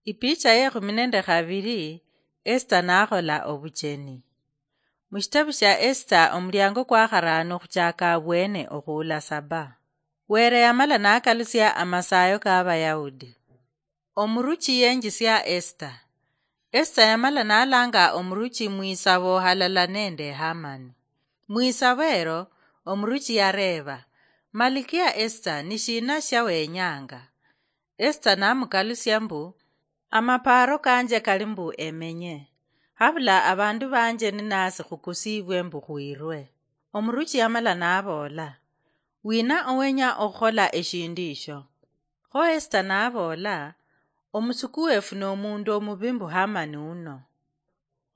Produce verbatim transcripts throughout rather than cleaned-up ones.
Ipicha yekhumi nende khabiri. Esita nakhola obucheni. Mushitabu shia Esita omuliango kwa kharano khuchaka abwene okhuula saba. Were yamala nakalusia amasayo ka Abayahudi. Omuruchi yenjisia Esita. Esita yamala nalanga omuruchi mwisabo halala nende Hamani. Mwisabo ero, omuruchi yareeba, "Malikia Esita, nishina shia wenyanga?" Esita namukalusia mbu, "Amapaaro kanje kali mbu emenye, habula abandu banje ninasi khukusiibwe mbu khwirwe." Omuruchi yamala naboola, "Wina owenya okhukhola eshindu isho?" Kho Esita naboola, "Omusuku wefu nomundu omubi mbu Hamani uno."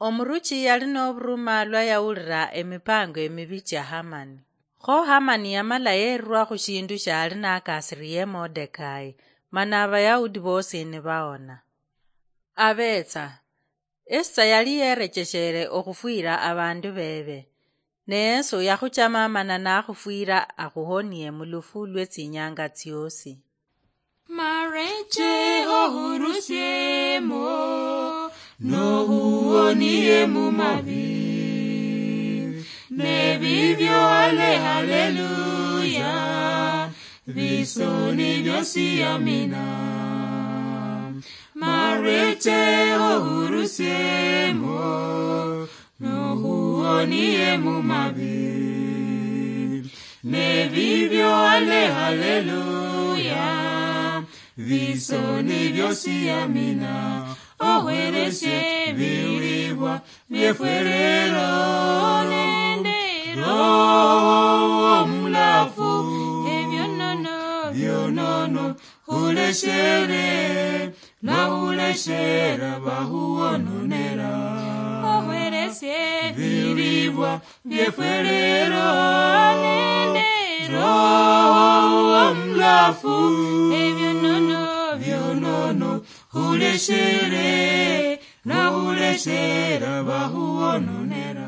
Omuruchi yali noburuma lwa yawulira emipango emibi chia Hamani. Kho Hamani yamala yerwa khushindu shiali nakasiriye Modekai, mana Abayahudi bosi nibaona. Abetsa, Esita yali yerecheshere okhufwira abandu bebe, ne Yesu yakhuchama mana nakhufwira akhuhonie mulufu lwetsinyanga tsiosi. Mareche ohurusiemo, nohuonie mumabi. Nebibyo ale haleluya, bisoni byosi amina. Mareche ohurusiemo, nohuonie mumabi. Nebibyo ale haleluya, bisoni byosi amina. Ohweresie bilibwa byefwerero nende Roho omulafu, ebyonono byonono huleshere, lwahuleshera bahuwononera. Ohweresie bilibwa byefwerero nende Roho omulafu, ebyonono byonono huleshere, lwahuleshera bahuwononera.